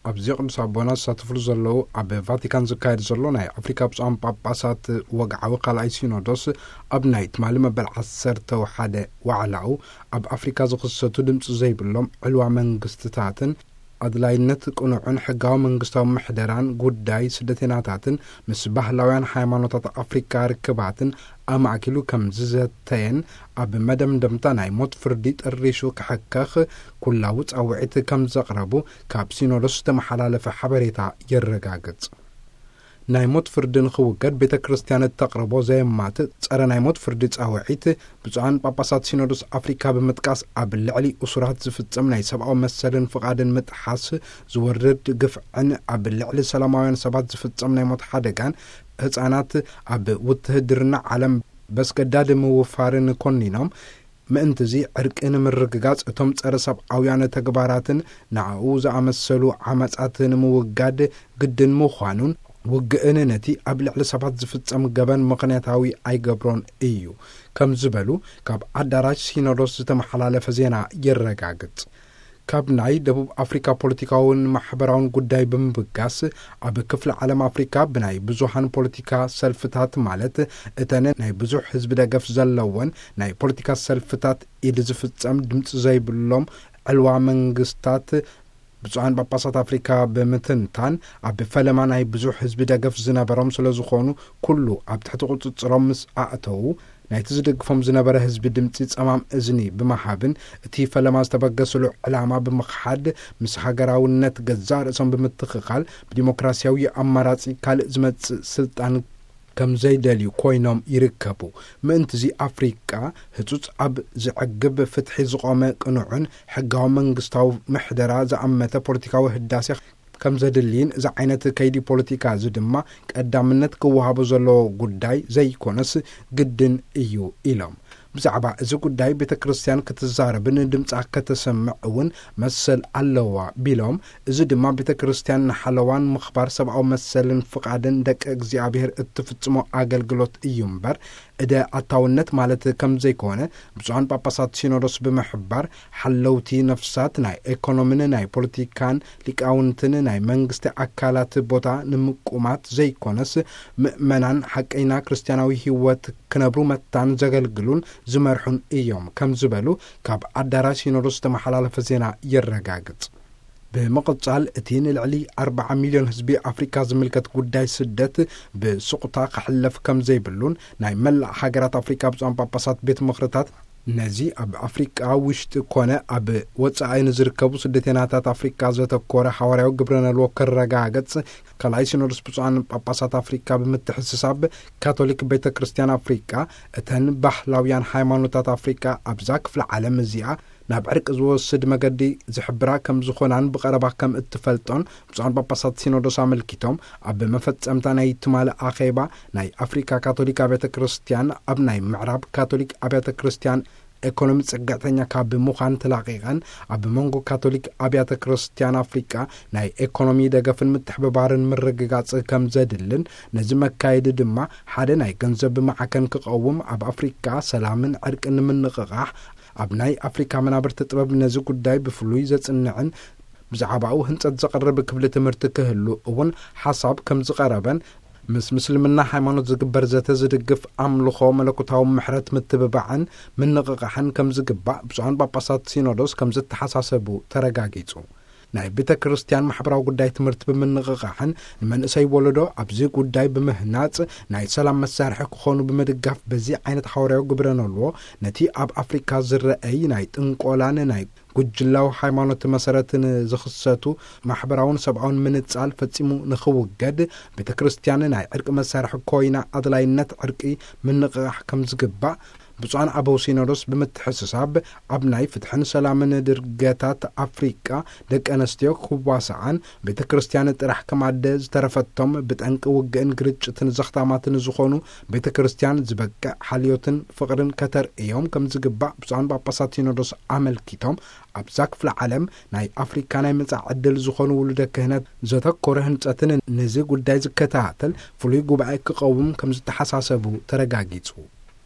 ኣብዚ ቅዱስ ኣቦና ዝሳተፍሉ ዘለዉ ኣብ ቫቲካን ዝካየድ ዘሎ ናይ ኣፍሪካ ብፁዓን ጳጳሳት ወግዓዊ ካልኣይ ሲኖዶስ፣ ኣብ ናይ ትማሊ መበል ዓሰርተ ሓደ ዋዕላኡ፣ ኣብ ኣፍሪካ ዝኽሰቱ ድምፂ ዘይብሎም ዕልዋ መንግስትታትን ኣድላይነት ቅኑዕን ሕጋዊ መንግስታዊ ምሕደራን ጉዳይ ስደተኛታትን ምስ ባህላውያን ሃይማኖታት ኣፍሪካ ርክባትን ኣማእኪሉ ከም ዝዘተየን፣ ኣብ መደምደምታ ናይ ሞት ፍርዲ ጥሪሹ ክሕከኽ ኩላዊ ጻውዒት ከም ዘቕረቡ ካብ ሲኖዶስ ዝተመሓላለፈ ሓበሬታ የረጋግጽ። ናይ ሞት ፍርዲ ንኽውገድ ቤተ ክርስቲያን እተቕርቦ ዘየማትእ ጸረ ናይ ሞት ፍርዲ ጻውዒት፣ ብፁዓን ጳጳሳት ሲኖዶስ ኣፍሪካ ብምጥቃስ፣ ኣብ ልዕሊ እሱራት ዝፍጸም ናይ ሰብኣዊ መሰልን ፍቓድን ምጥሓስ፣ ዝወርድ ግፍዕን ኣብ ልዕሊ ሰላማውያን ሰባት ዝፍጸም ናይ ሞት ሓደጋን፣ ህጻናት ኣብ ውትህድርና ዓለም በስገዳድ ምውፋርን ኮኒኖም፣ ምእንትዚ ዕርቂ ንምርግጋጽ እቶም ጸረ ሰብኣውያን ተግባራትን ንኣኡ ዝኣመሰሉ ዓመጻት ንምውጋድ ግድን ምዃኑን፣ ውግእን ነቲ ኣብ ልዕሊ ሰባት ዝፍጸም ገበን ምኽንያታዊ ኣይገብሮን እዩ ከም ዝበሉ ካብ ኣዳራሽ ሲኖዶስ ዝተመሓላለፈ ዜና የረጋግጽ። ካብ ናይ ደቡብ ኣፍሪካ ፖለቲካውን ማሕበራውን ጉዳይ ብምብጋስ፣ ኣብ ክፍለ ዓለም ኣፍሪካ ብናይ ብዙሃን ፖለቲካ ሰልፍታት፣ ማለት እተን ናይ ብዙሕ ህዝቢ ደገፍ ዘለወን ናይ ፖለቲካ ሰልፍታት ኢድ ዝፍጸም ድምፂ ዘይብሎም ዕልዋ መንግስታት፣ ብፁዓን ጳጳሳት ኣፍሪካ ብምትንታን፣ ኣብ ፈለማ ናይ ብዙሕ ህዝቢ ደገፍ ዝነበሮም ስለ ዝኾኑ፣ ኩሉ ኣብ ትሕቲ ቁጽጽሮም ምስ ኣእተዉ፣ ናይቲ ዝድግፎም ዝነበረ ህዝቢ ድምፂ ጸማም እዝኒ ብምሃብን፣ እቲ ፈለማ ዝተበገስሉ ዕላማ ብምኽሓድ፣ ምስ ሃገራውነት ገዛእ ርእሶም ብምትኽኻል፣ ብዲሞክራሲያዊ ኣማራጺ ካልእ ዝመጽእ ስልጣን ከም ዘይደልዩ ኮይኖም ይርከቡ። ምእንትዚ ኣፍሪቃ ህጹጽ ኣብ ዝዕግብ ፍትሒ ዝቖመ ቅኑዕን ሕጋዊ መንግስታዊ ምሕደራ ዝኣመተ ፖለቲካዊ ህዳሴ ከም ዘድልይን፣ እዚ ዓይነት ከይዲ ፖለቲካ እዚ ድማ ቀዳምነት ክወሃቦ ዘለዎ ጉዳይ ዘይኮነስ ግድን እዩ ኢሎም። ብዛዕባ እዚ ጉዳይ ቤተ ክርስቲያን ክትዛረብን ድምጻ ከተሰምዕ እውን መሰል ኣለዋ ቢሎም፣ እዚ ድማ ቤተ ክርስቲያን ንሓለዋን ምኽባር ሰብኣዊ መሰልን ፍቓድን ደቂ እግዚኣብሔር እትፍጽሞ ኣገልግሎት እዩ እምበር፣ እደ ኣታውነት ማለት ከም ዘይኮነ ብፁዓን ጳጳሳት ሲኖዶስ ብምሕባር፣ ሓለውቲ ነፍሳት ናይ ኤኮኖሚን ናይ ፖለቲካን ሊቃውንትን ናይ መንግስቲ ኣካላት ቦታ ንምቁማት ዘይኮነስ፣ ምእመናን ሓቀይና ክርስቲያናዊ ህይወት ክነብሩ መታን ዘገልግሉን ዝመርሑን እዮም ከም ዝበሉ ካብ ኣዳራሽ ሲኖዶስ ዝተመሓላለፈ ዜና የረጋግጽ። ብምቕጻል፣ እቲ ንልዕሊ ኣርባዓ ሚልዮን ህዝቢ ኣፍሪካ ዝምልከት ጉዳይ ስደት ብስቕታ ክሕለፍ ከም ዘይብሉን፣ ናይ መላእ ሃገራት ኣፍሪካ ብፁዓን ጳጳሳት ቤት ምኽርታት ነዚ ኣብ ኣፍሪቃ ውሽጢ ኮነ ኣብ ወጻኢ ንዝርከቡ ስደተኛታት ኣፍሪቃ ዘተኮረ ሓዋርያዊ ግብረ ነልዎ ክረጋገጽ፣ ካልኣይ ሲኖዶስ ብፁዓን ጳጳሳት ኣፍሪቃ ብምትሕስሳብ፣ ካቶሊክ ቤተ ክርስቲያን ኣፍሪቃ፣ እተን ባህላውያን ሃይማኖታት ኣፍሪቃ ኣብዛ ክፍለ ዓለም እዚኣ ናብ ዕርቂ ዝወስድ መገዲ ዝሕብራ ከም ዝኾናን ብቐረባ ከም እትፈልጦን ብፁዓን ጳጳሳት ሲኖዶስ ኣመልኪቶም፣ ኣብ መፈጸምታ ናይ ትማሊ ኣኼባ ናይ ኣፍሪካ ካቶሊክ ኣብያተ ክርስቲያን፣ ኣብ ናይ ምዕራብ ካቶሊክ ኣብያተ ክርስቲያን ኤኮኖሚ ጽግዕተኛ ካብ ምዃን ተላቒቐን፣ ኣብ መንጎ ካቶሊክ ኣብያተ ክርስቲያን ኣፍሪቃ ናይ ኤኮኖሚ ደገፍን ምትሕብባርን ምርግጋጽ ከም ዘድልን፣ ነዚ መካየዲ ድማ ሓደ ናይ ገንዘብ ማዕከን ክቐውም፣ ኣብ ኣፍሪቃ ሰላምን ዕርቅን ንምንቕቓሕ፣ ኣብ ናይ ኣፍሪካ መናብርቲ ጥበብ ነዚ ጉዳይ ብፍሉይ ዘጽንዕን ብዛዕባኡ ህንጸት ዘቕርብ ክፍሊ ትምህርቲ ክህሉ እውን ሓሳብ ከም ዝቐረበን፣ ምስ ምስልምና ሃይማኖት ዝግበር ዘተ ዝድግፍ ኣምልኾ መለኮታዊ ምሕረት ምትብባዕን ምንቕቓሕን ከም ዝግባእ ብፁዓን ጳጳሳት ሲኖዶስ ከም ዝተሓሳሰቡ ተረጋጊጹ። ናይ ቤተ ክርስቲያን ማሕበራዊ ጉዳይ ትምህርቲ ብምንቕቓሕን ንመንእሰይ ወለዶ ኣብዚ ጉዳይ ብምህናጽ ናይ ሰላም መሳርሒ ክኾኑ ብምድጋፍ፣ በዚ ዓይነት ሓዋርያዊ ግብረ ነልዎ ነቲ ኣብ ኣፍሪካ ዝረአይ ናይ ጥንቆላን ናይ ጉጅላዊ ሃይማኖት መሰረትን ዝኽሰቱ ማሕበራውን ሰብኣውን ምንጻል ፈጺሙ ንኽውገድ፣ ቤተ ክርስቲያን ናይ ዕርቂ መሳርሒ ኮይና ኣድላይነት ዕርቂ ምንቕቓሕ ከም ዝግባእ ብፁዓን ኣበው ሲኖዶስ ብምትሕስሳብ፣ ኣብ ናይ ፍትሕን ሰላምን ድርገታት ኣፍሪቃ ደቂ ኣንስትዮ ክዋስኣን፣ ቤተ ክርስቲያን ጥራሕ ከም ኣደ ዝተረፈቶም ብጠንቂ ውግእን ግርጭትን ዘኽታማትን ዝኾኑ ቤተ ክርስቲያን ዝበቅዕ ሓልዮትን ፍቕርን ከተርእዮም ከም ዝግባእ ብፁዓን ጳጳሳት ሲኖዶስ ኣመልኪቶም፣ ኣብዛ ክፍለ ዓለም ናይ ኣፍሪካ ናይ መጻኢ ዕድል ዝኾኑ ውሉደ ክህነት ዘተኮረ ህንጸትን ነዚ ጉዳይ ዝከታተል ፍሉይ ጉባኤ ክቐውም ከም ዝተሓሳሰቡ ተረጋጊጹ።